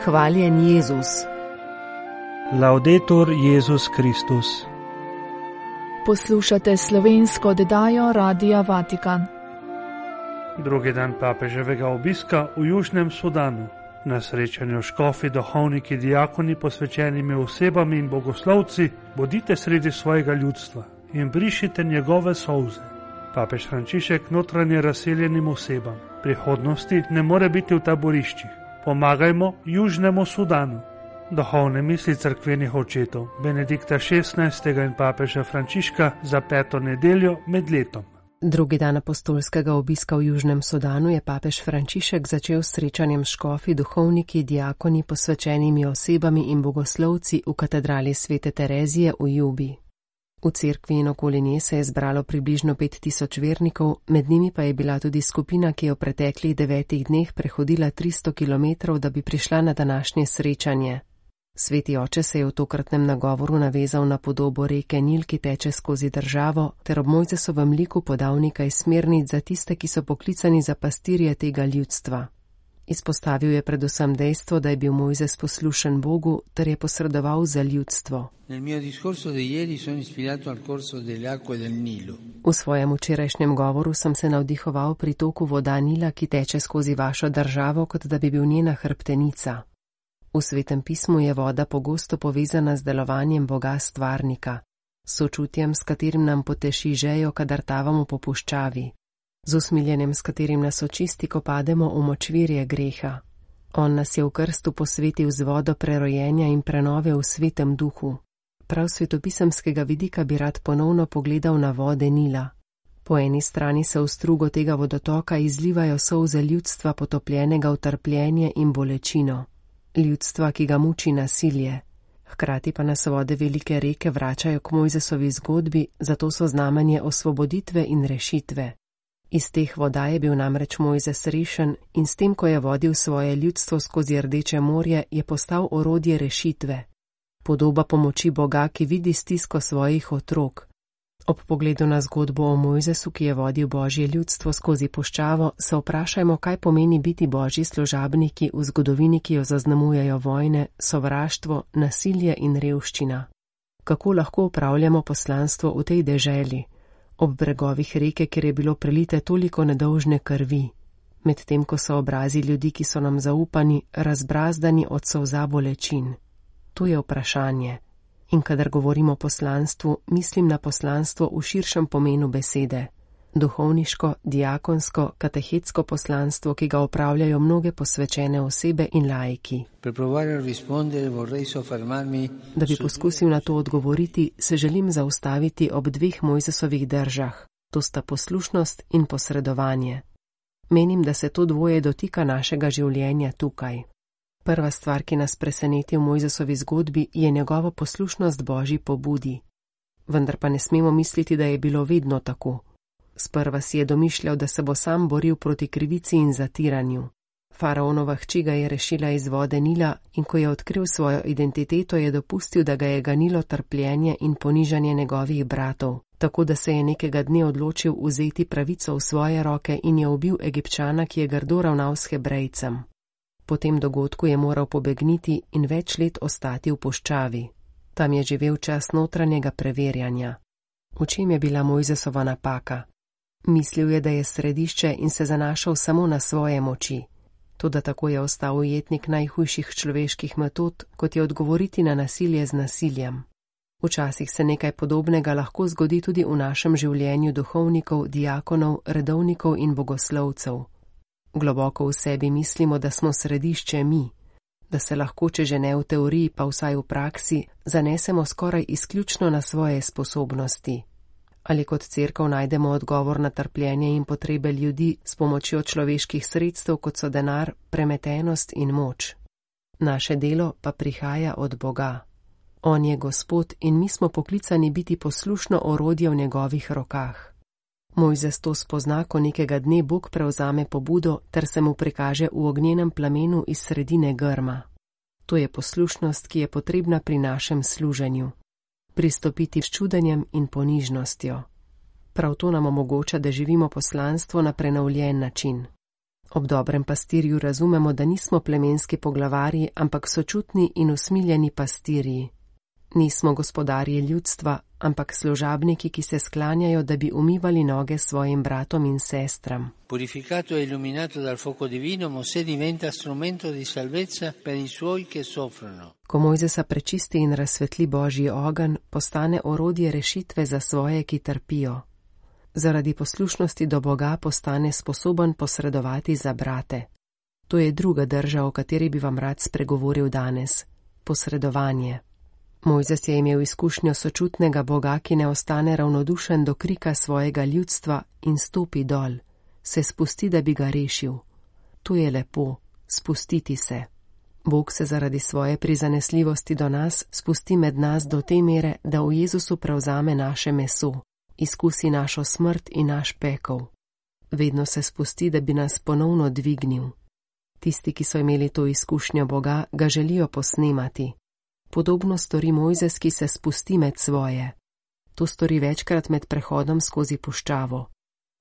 Hvaljen Jezus. Laudetur Jezus Kristus. Poslušate slovensko oddajo Radia Vatikan. Drugi dan papeževega obiska v Južnem Sudanu. Na srečanju škofi, duhovniki, diakoni, posvečenimi osebami in bogoslovci, bodite sredi svojega ljudstva in brišite njegove solze. Papež Frančišek notranje razseljenim osebam. Prihodnosti ne more biti v taboriščih. Pomagajmo Južnemu Sudanu. Duhovne misli cerkvenih očetov Benedikta XVI. In papeža Frančiška za 5. nedeljo med letom. Drugi dan apostolskega obiska v Južnem Sudanu je papež Frančišek začel s srečanjem škofi, duhovniki, diakoni, posvečenimi osebami in bogoslovci v katedrali Svete Terezije v Jubi. V cerkvi in okoli nje se je zbralo približno 5000 vernikov, med njimi pa je bila tudi skupina, ki je v preteklih 9 dneh prehodila 300 km, da bi prišla na današnje srečanje. Sveti oče se je v tokratnem nagovoru navezal na podobo reke Nil, ki teče skozi državo, ter ob Mojzesovem liku podal nekaj smernic za tiste, ki so poklicani za pastirje tega ljudstva. Izpostavil je predvsem dejstvo, da je bil Mojzes poslušen Bogu, ter je posredoval za ljudstvo. V svojem včerajšnjem govoru sem se navdihoval pri toku voda Nila, ki teče skozi vašo državo, kot da bi bil njena hrbtenica. V Svetem pismu je voda pogosto povezana z delovanjem Boga stvarnika, s sočutjem, s katerim nam poteši žejo, kadar tavamo po puščavi, z usmiljenjem, s katerim nas očisti, ko pademo v močvirje greha. On nas je v krstu posvetil z vodo prerojenja in prenove v Svetem duhu. Prav svetopisemskega vidika bi rad ponovno pogledal na vode Nila. Po eni strani se v strugo tega vodotoka izlivajo solze ljudstva, potopljenega v trpljenje in bolečino. Ljudstva, ki ga muči nasilje. Hkrati pa nas vode velike reke vračajo k Mojzesovi zgodbi, zato so znamenje osvoboditve in rešitve. Iz teh voda je bil namreč Mojzes rešen in s tem, ko je vodil svoje ljudstvo skozi Rdeče morje, je postal orodje rešitve. Podoba pomoči Boga, ki vidi stisko svojih otrok. Ob pogledu na zgodbo o Mojzesu, ki je vodil Božje ljudstvo skozi puščavo, se vprašajmo, kaj pomeni biti Božji služabniki v zgodovini, ki jo zaznamujejo vojne, sovraštvo, nasilje in revščina. Kako lahko upravljamo poslanstvo v tej deželi, ob bregovih reke, kjer je bilo prelite toliko nedolžne krvi, medtem ko so obrazi ljudi, ki so nam zaupani, razbrazdani od solza bolečin. To je vprašanje. In kadar govorimo o poslanstvu, mislim na poslanstvo v širšem pomenu besede. Duhovniško, diakonsko, katehetsko poslanstvo, ki ga opravljajo mnoge posvečene osebe in laiki. Da bi poskusil na to odgovoriti, se želim zaustaviti ob 2 Mojzesovih držah. To sta poslušnost in posredovanje. Menim, da se to dvoje dotika našega življenja tukaj. Prva stvar, ki nas preseneti v Mojzesovi zgodbi, je njegova poslušnost Božji pobudi. Vendar pa ne smemo misliti, da je bilo vedno tako. Sprva si je domišljal, da se bo sam boril proti krivici in zatiranju. Faraonova hči ga je rešila iz vode Nila in ko je odkril svojo identiteto, je dopustil, da ga je ganilo trpljenje in ponižanje njegovih bratov, tako da se je nekega dne odločil vzeti pravico v svoje roke in je ubil Egipčana, ki je grdo ravnal s Hebrejcem. Po tem dogodku je moral pobegniti in več let ostati v puščavi. Tam je živel čas notranjega preverjanja. V čem je bila Mojzesova napaka? Mislil je, da je središče in se zanašal samo na svoje moči. Toda tako je ostal ujetnik najhujših človeških metod, kot je odgovoriti na nasilje z nasiljem. Včasih se nekaj podobnega lahko zgodi tudi v našem življenju duhovnikov, diakonov, redovnikov in bogoslovcev. Globoko v sebi mislimo, da smo središče mi, da se lahko, če že ne v teoriji, pa vsaj v praksi, zanesemo skoraj izključno na svoje sposobnosti. Ali kot cerkev najdemo odgovor na trpljenje in potrebe ljudi s pomočjo človeških sredstev, kot so denar, premetenost in moč. Naše delo pa prihaja od Boga. On je Gospod in mi smo poklicani biti poslušno orodje v njegovih rokah. Mojzes to spozna, ko nekega dne Bog prevzame pobudo ter se mu prikaže v ognjenem plamenu iz sredine grma. To je poslušnost, ki je potrebna pri našem služenju. Pristopiti s čudenjem in ponižnostjo. Prav to nam omogoča, da živimo poslanstvo na prenovljen način. Ob dobrem pastirju razumemo, da nismo plemenski poglavarji, ampak sočutni in usmiljeni pastirji. Nismo gospodarji ljudstva, ampak služabniki, ki se sklanjajo, da bi umivali noge svojim bratom in sestram. Purificato e illuminato dal fuoco divino, Mosè diventa strumento di salvezza per i suoi che soffrono. Ko Mojzesa prečisti in razsvetli Božji ogenj, postane orodje rešitve za svoje, ki trpijo. Zaradi poslušnosti do Boga postane sposoben posredovati za brate. To je druga drža, o kateri bi vam rad spregovoril danes. Posredovanje. Mojzes je imel izkušnjo sočutnega Boga, ki ne ostane ravnodušen do krika svojega ljudstva in stopi dol. Se spusti, da bi ga rešil. To je lepo, spustiti se. Bog se zaradi svoje prizanesljivosti do nas spusti med nas do te mere, da v Jezusu prevzame naše meso, izkusi našo smrt in naš pekel. Vedno se spusti, da bi nas ponovno dvignil. Tisti, ki so imeli to izkušnjo Boga, ga želijo posnemati. Podobno stori Mojzes, ki se spusti med svoje. To stori večkrat med prehodom skozi puščavo.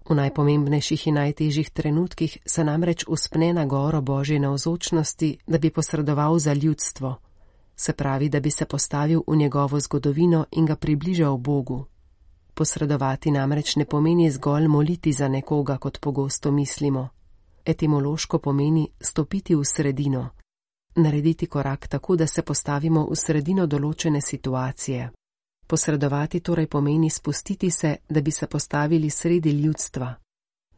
V najpomembnejših in najtežjih trenutkih se namreč uspne na goro Božje navzočnosti, da bi posredoval za ljudstvo. Se pravi, da bi se postavil v njegovo zgodovino in ga približal Bogu. Posredovati namreč ne pomeni zgolj moliti za nekoga, kot pogosto mislimo. Etimološko pomeni stopiti v sredino. Narediti korak tako, da se postavimo v sredino določene situacije. Posredovati torej pomeni spustiti se, da bi se postavili sredi ljudstva.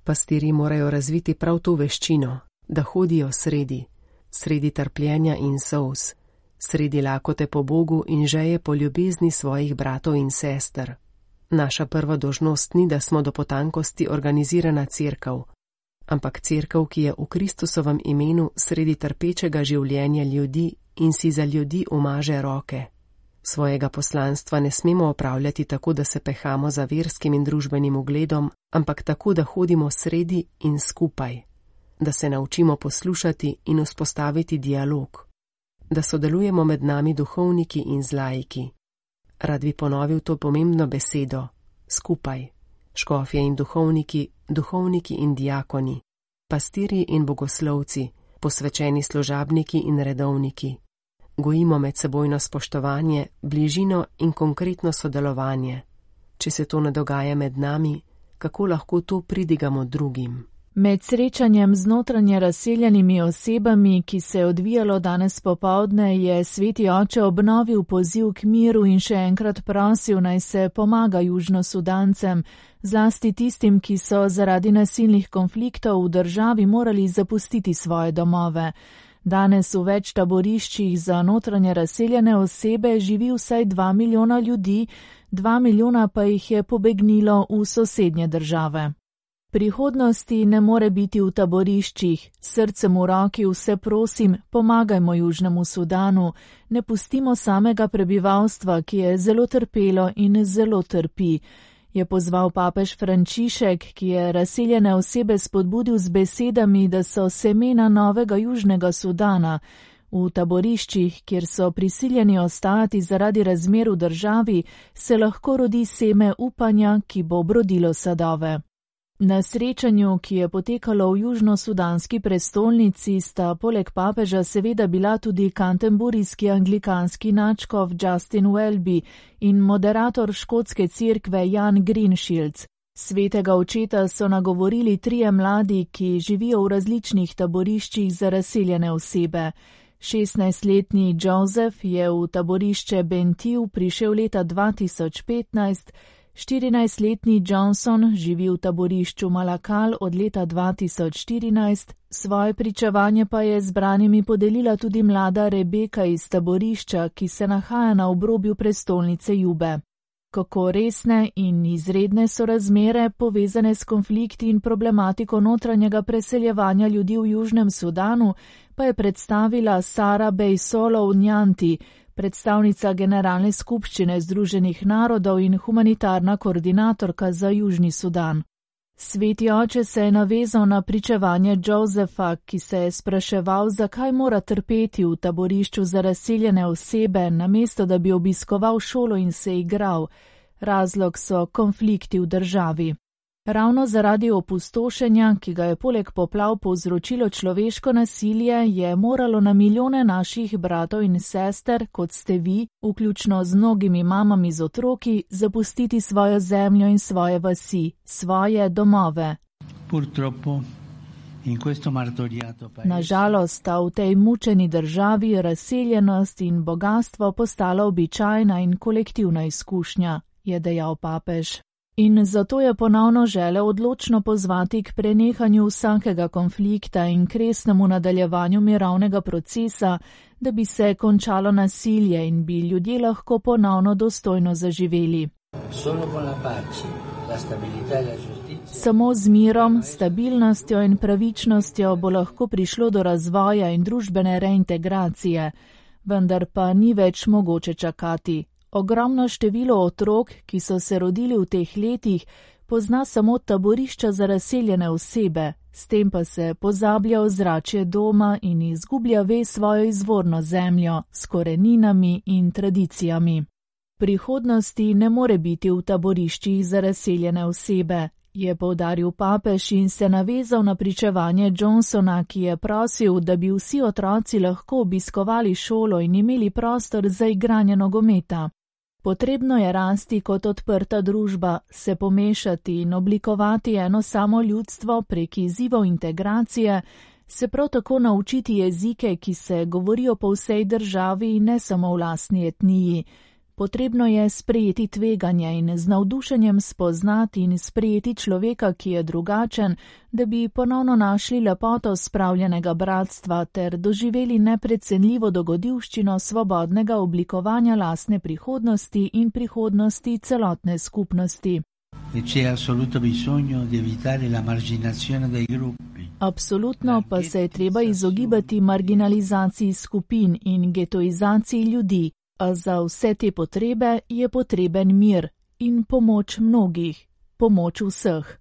Pastirji morajo razviti prav to veščino, da hodijo sredi trpljenja in solz, sredi lakote po Bogu in žeje po ljubezni svojih bratov in sester. Naša prva dolžnost ni, da smo do potankosti organizirana cerkev, ampak cerkev, ki je v Kristusovem imenu sredi trpečega življenja ljudi in si za ljudi umaže roke. Svojega poslanstva ne smemo opravljati tako, da se pehamo za verskim in družbenim ugledom, ampak tako, da hodimo sredi in skupaj, da se naučimo poslušati in vzpostaviti dialog, da sodelujemo med nami duhovniki in laiki. Rad bi ponovil to pomembno besedo, skupaj, škofje in duhovniki, duhovniki in diakoni, pastirji in bogoslovci, posvečeni služabniki in redovniki. Gojimo medsebojno spoštovanje, bližino in konkretno sodelovanje. Če se to ne dogaja med nami, kako lahko to pridigamo drugim? Med srečanjem z notranje razseljenimi osebami, ki se je odvijalo danes popoldne, je sveti oče obnovil poziv k miru in še enkrat prosil, naj se pomaga Južnosudancem, zlasti tistim, ki so zaradi nasilnih konfliktov v državi morali zapustiti svoje domove. Danes v več taboriščih za notranje razseljene osebe živi vsaj 2 milijona ljudi, 2 milijona pa jih je pobegnilo v sosednje države. Prihodnosti ne more biti v taboriščih, srcem v roki vse prosim, pomagajmo Južnemu Sudanu, ne pustimo samega prebivalstva, ki je zelo trpelo in zelo trpi, je pozval papež Frančišek, ki je razseljene osebe spodbudil z besedami, da so semena novega Južnega Sudana. V taboriščih, kjer so prisiljeni ostati zaradi razmer v državi, se lahko rodi seme upanja, ki bo obrodilo sadove. Na srečanju, ki je potekalo v južnosudanski prestolnici, sta poleg papeža seveda bila tudi kanterburijski anglikanski nadškof Justin Welby in moderator škotske cerkve Jan Greenshields. Svetega očeta so nagovorili 3 mladi, ki živijo v različnih taboriščih za razseljene osebe. 16-letni Joseph je v taborišče Bentiu prišel leta 2015, 14-letni Johnson živi v taborišču Malakal od leta 2014, svoje pričevanje pa je zbranimi podelila tudi mlada Rebeka iz taborišča, ki se nahaja na obrobju prestolnice Jube. Kako resne in izredne so razmere povezane s konflikti in problematiko notranjega preseljevanja ljudi v Južnem Sudanu, pa je predstavila Sara Bejsolov Njanti, predstavnica Generalne skupščine Združenih narodov in humanitarna koordinatorka za Južni Sudan. Sveti oče se je navezal na pričevanje Josefa, ki se je spraševal, zakaj mora trpeti v taborišču za razseljene osebe, namesto da bi obiskoval šolo in se igral. Razlog so konflikti v državi. Ravno zaradi opustošenja, ki ga je poleg poplav povzročilo človeško nasilje, je moralo na milijone naših bratov in sester, kot ste vi, vključno z mnogimi mamami z otroki, zapustiti svojo zemljo in svoje vasi, svoje domove. Nažalost sta v tej mučeni državi razseljenost in bogatstvo postala običajna in kolektivna izkušnja, je dejal papež. In zato je ponovno želel odločno pozvati k prenehanju vsakega konflikta in k resnemu nadaljevanju mirovnega procesa, da bi se končalo nasilje in bi ljudje lahko ponovno dostojno zaživeli. Samo z mirom, stabilnostjo in pravičnostjo bo lahko prišlo do razvoja in družbene reintegracije, vendar pa ni več mogoče čakati. Ogromno število otrok, ki so se rodili v teh letih, pozna samo taborišča za razseljene osebe, s tem pa se pozablja ozračje doma in izgublja svojo izvorno zemljo s koreninami in tradicijami. Prihodnosti ne more biti v taboriščih za razseljene osebe, je poudaril papež in se navezal na pričevanje Johnsona, ki je prosil, da bi vsi otroci lahko obiskovali šolo in imeli prostor za igranje nogometa. Potrebno je rasti kot odprta družba, se pomešati in oblikovati eno samo ljudstvo prek izzivov integracije, se prav tako naučiti jezike, ki se govorijo po vsej državi in ne samo v lastni etniji. Potrebno je sprejeti tveganje in z navdušenjem spoznati in sprejeti človeka, ki je drugačen, da bi ponovno našli lepoto spravljenega bratstva ter doživeli neprecenljivo dogodivščino svobodnega oblikovanja lastne prihodnosti in prihodnosti celotne skupnosti. Absolutno pa se je treba izogibati marginalizaciji skupin in getoizaciji ljudi. A za vse te potrebe je potreben mir in pomoč mnogih, pomoč vseh.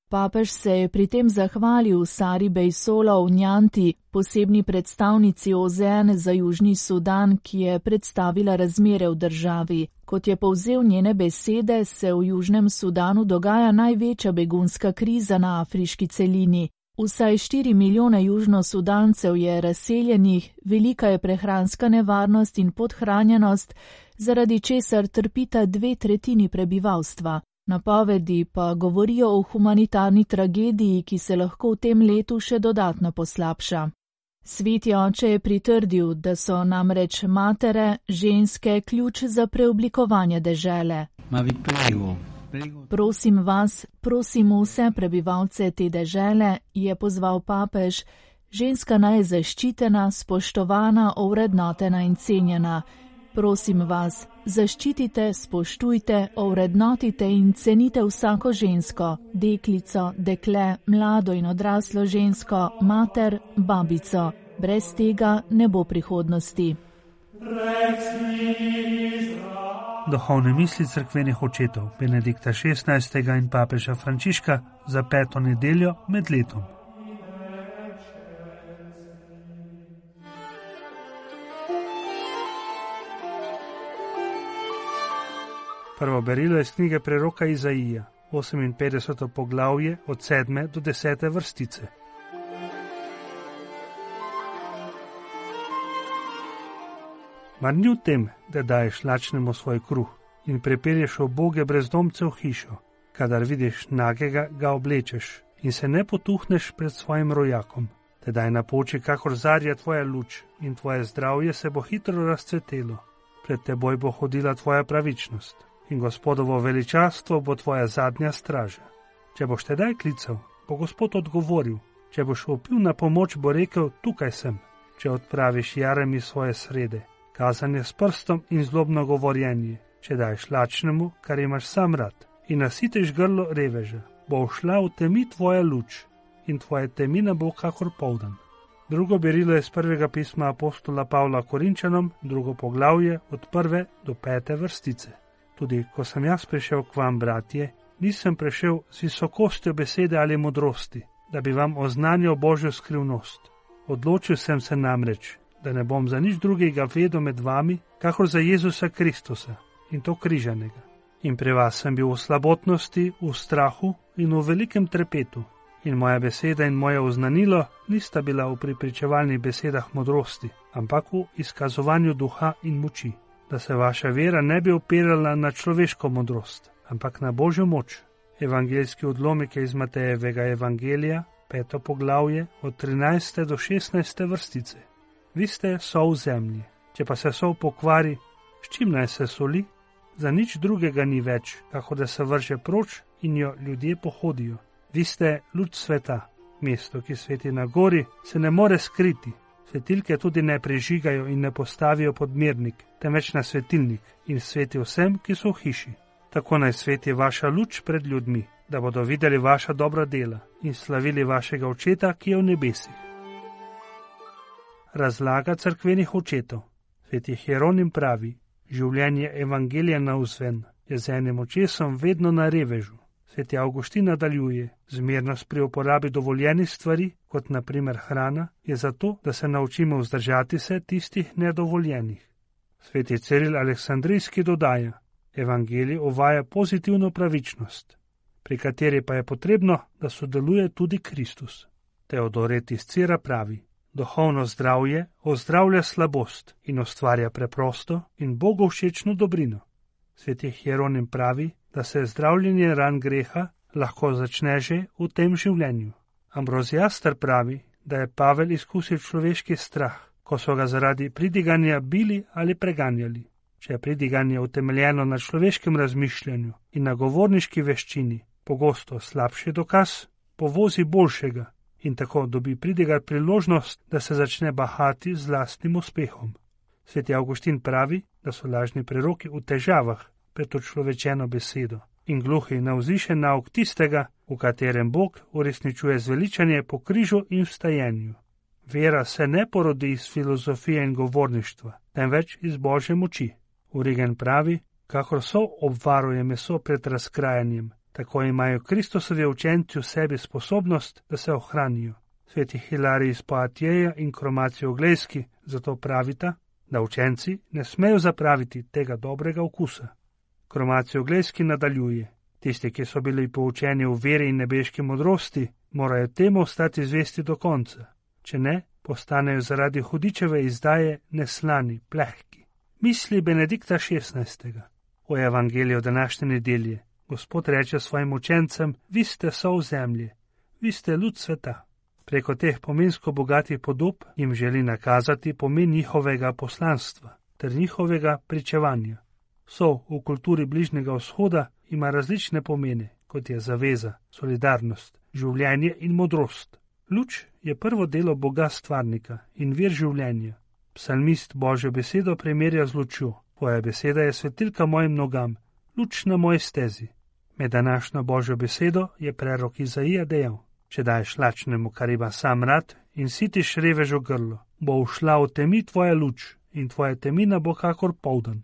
Papež se je pri tem zahvalil Sari Bejsolo v Njanti, posebni predstavnici OZN za Južni Sudan, ki je predstavila razmere v državi. Kot je povzel njene besede, se v Južnem Sudanu dogaja največja begunska kriza na afriški celini. Vsaj 4 milijone južnosudancev je razseljenih, velika je prehranska nevarnost in podhranjenost, zaradi česar trpita 2/3 prebivalstva. Napovedi pa govorijo o humanitarni tragediji, ki se lahko v tem letu še dodatno poslabša. Sveti oče je pritrdil, da so namreč matere, ženske ključ za preoblikovanje dežele. Prosim vas, prosim vse prebivalce te dežele, je pozval papež, ženska naj je zaščitena, spoštovana, ovrednotena in cenjena. Prosim vas, zaščitite, spoštujte, ovrednotite in cenite vsako žensko, deklico, dekle, mlado in odraslo žensko, mater, babico. Brez tega ne bo prihodnosti. Duhovne misli cerkvenih očetov Benedikta XVI. In papeža Frančiška za 5. nedeljo med letom. Prvo berilo je iz knjige preroka Izaija, 58. poglavje od 7. do 10. vrstice. Mar ni v tem, da daješ lačnemu svoj kruh in prepelješ uboge brezdomce v hišo, kadar vidiš nagega, ga oblečeš in se ne potuhneš pred svojim rojakom. Tedaj napoči, kakor zarja tvoja luč in tvoje zdravje se bo hitro razcvetelo. Pred teboj bo hodila tvoja pravičnost in Gospodovo veličastvo bo tvoja zadnja straža. Če boš tedaj klical, bo Gospod odgovoril. Če boš vpil na pomoč, bo rekel, tukaj sem. Če odpraviš jarami svoje srede, kazanje s prstom in zlobno govorjenje, če daješ lačnemu, kar imaš sam rad, in nasiteš grlo reveža, bo šla v temi tvoja luč in tvoja temina bo kakor poldan. Drugo berilo je z prvega pisma apostola Pavla Korinčanom, 2. poglavje od 1. do 5. vrstice. Tudi ko sem jaz prišel k vam, bratje, nisem prišel z visokostjo besede ali modrosti, da bi vam oznanjal Božjo skrivnost. Odločil sem se namreč, da ne bom za nič drugega vedel med vami, kakor za Jezusa Kristusa in to križanega. In pri vas sem bil v slabotnosti, v strahu in v velikem trepetu. In moja beseda in moje oznanilo nista bila v prepričevalnih besedah modrosti, ampak v izkazovanju duha in moči, da se vaša vera ne bi opirala na človeško modrost, ampak na Božjo moč. Evangeljski odlomek je iz Matejevega evangelija, 5. poglavje, od 13. do 16. vrstice. Vi ste sol zemlje. Če pa se sol pokvari, s čim naj se soli? Za nič drugega ni več, kako da se vrže proč in jo ljudje pohodijo. Vi ste luč sveta. Mesto, ki sveti na gori, se ne more skriti. Svetilke tudi ne prižigajo in ne postavijo pod mirnik, temveč na svetilnik in sveti vsem, ki so v hiši. Tako naj sveti vaša luč pred ljudmi, da bodo videli vaša dobra dela in slavili vašega očeta, ki je v nebesih. Razlaga cerkvenih očetov. Sveti Hieronim pravi, življenje evangelija navzven je z enim očesom vedno na revežu. Sveti Avguštin nadaljuje, zmernost pri uporabi dovoljenih stvari, kot na primer hrana, je zato, da se naučimo vzdržati se tistih nedovoljenih. Sveti Ciril Aleksandrijski dodaja, evangelij uvaja pozitivno pravičnost, pri kateri pa je potrebno, da sodeluje tudi Kristus. Teodoret iz Cira pravi, duhovno zdravje ozdravlja slabost in ustvarja preprosto in Bogu všečno dobrino. Sveti Hieronim pravi, da se zdravljenje ran greha lahko začne že v tem življenju. Ambroziaster pravi, da je Pavel izkusil človeški strah, ko so ga zaradi pridiganja bili ali preganjali. Če je pridiganje utemeljeno na človeškem razmišljanju in na govorniški veščini, pogosto slabši dokaz, povozi boljšega in tako dobi pridigar priložnost, da se začne bahati z lastnim uspehom. Sveti Avguštin pravi, da so lažni preroki v težavah pred človečeno besedo in gluhi na vzvišen nauk tistega, v katerem Bog uresničuje zveličanje po križu in vstajenju. Vera se ne porodi iz filozofije in govorništva, temveč iz Božje moči. Origen pravi, kakor so obvaruje meso pred razkrajanjem, tako imajo Kristusovi učenci v sebi sposobnost, da se ohranijo. Sveti Hilarij iz Poatjeja in Kromaci Oglejski zato pravita, da učenci ne smejo zapraviti tega dobrega okusa. Kromaci Oglejski nadaljuje, tisti, ki so bili poučeni v veri in nebeški modrosti, morajo temu ostati zvesti do konca. Če ne, postanejo zaradi hudičeve izdaje neslani, plehki. Misli Benedikta XVI. O evangeliju današnje nedelje. Gospod reče svojim učencem, vi ste sol zemlje, vi ste luč sveta. Preko teh pomensko bogatih podob jim želi nakazati pomen njihovega poslanstva ter njihovega pričevanja. Sol v kulturi Bližnjega vzhoda ima različne pomene, kot je zaveza, solidarnost, življenje in modrost. Luč je prvo delo Boga stvarnika in vir življenja. Psalmist Božjo besedo primerja z lučjo. Tvoja beseda je svetilka mojim nogam, luč na moji stezi. Med današnjo Božjo besedo je prerok Izaija dejal, če daješ lačnemu, kar ima sam rad, in sitiš revežo grlo, bo ušla v temi tvoja luč in tvoja temina bo kakor poldan.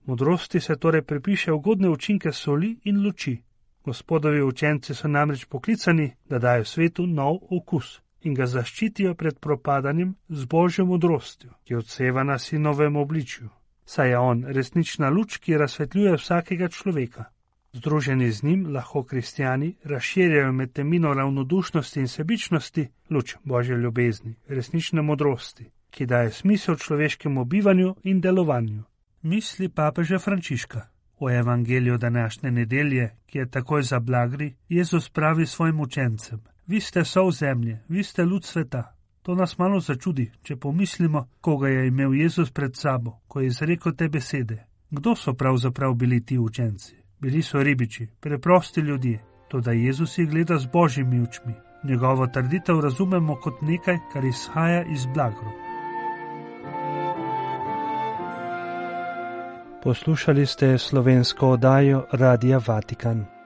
Modrosti se torej pripiše ugodne učinke soli in luči. Gospodovi učenci so namreč poklicani, da dajo svetu nov okus in ga zaščitijo pred propadanjem z Božjo modrostjo, ki odseva na sinovem obličju. Saj je on resnična luč, ki razsvetljuje vsakega človeka. Združeni z njim lahko kristjani razširjajo med temino ravnodušnosti in sebičnosti luč Božje ljubezni, resnične modrosti, ki daje smisel človeškemu bivanju in delovanju. Misli papeža Frančiška. O evangeliju današnje nedelje, ki je takoj za blagri, Jezus pravi svojim učencem, vi ste sol zemlje, vi ste luč sveta. To nas malo začudi, če pomislimo, koga je imel Jezus pred sabo, ko je izrekel te besede. Kdo so pravzaprav bili ti učenci? Bili so ribiči, preprosti ljudje, toda Jezus jih gleda z Božjimi očmi. Njegovo trditev razumemo kot nekaj, kar izhaja iz blagru. Poslušali ste slovensko oddajo Radia Vatikan.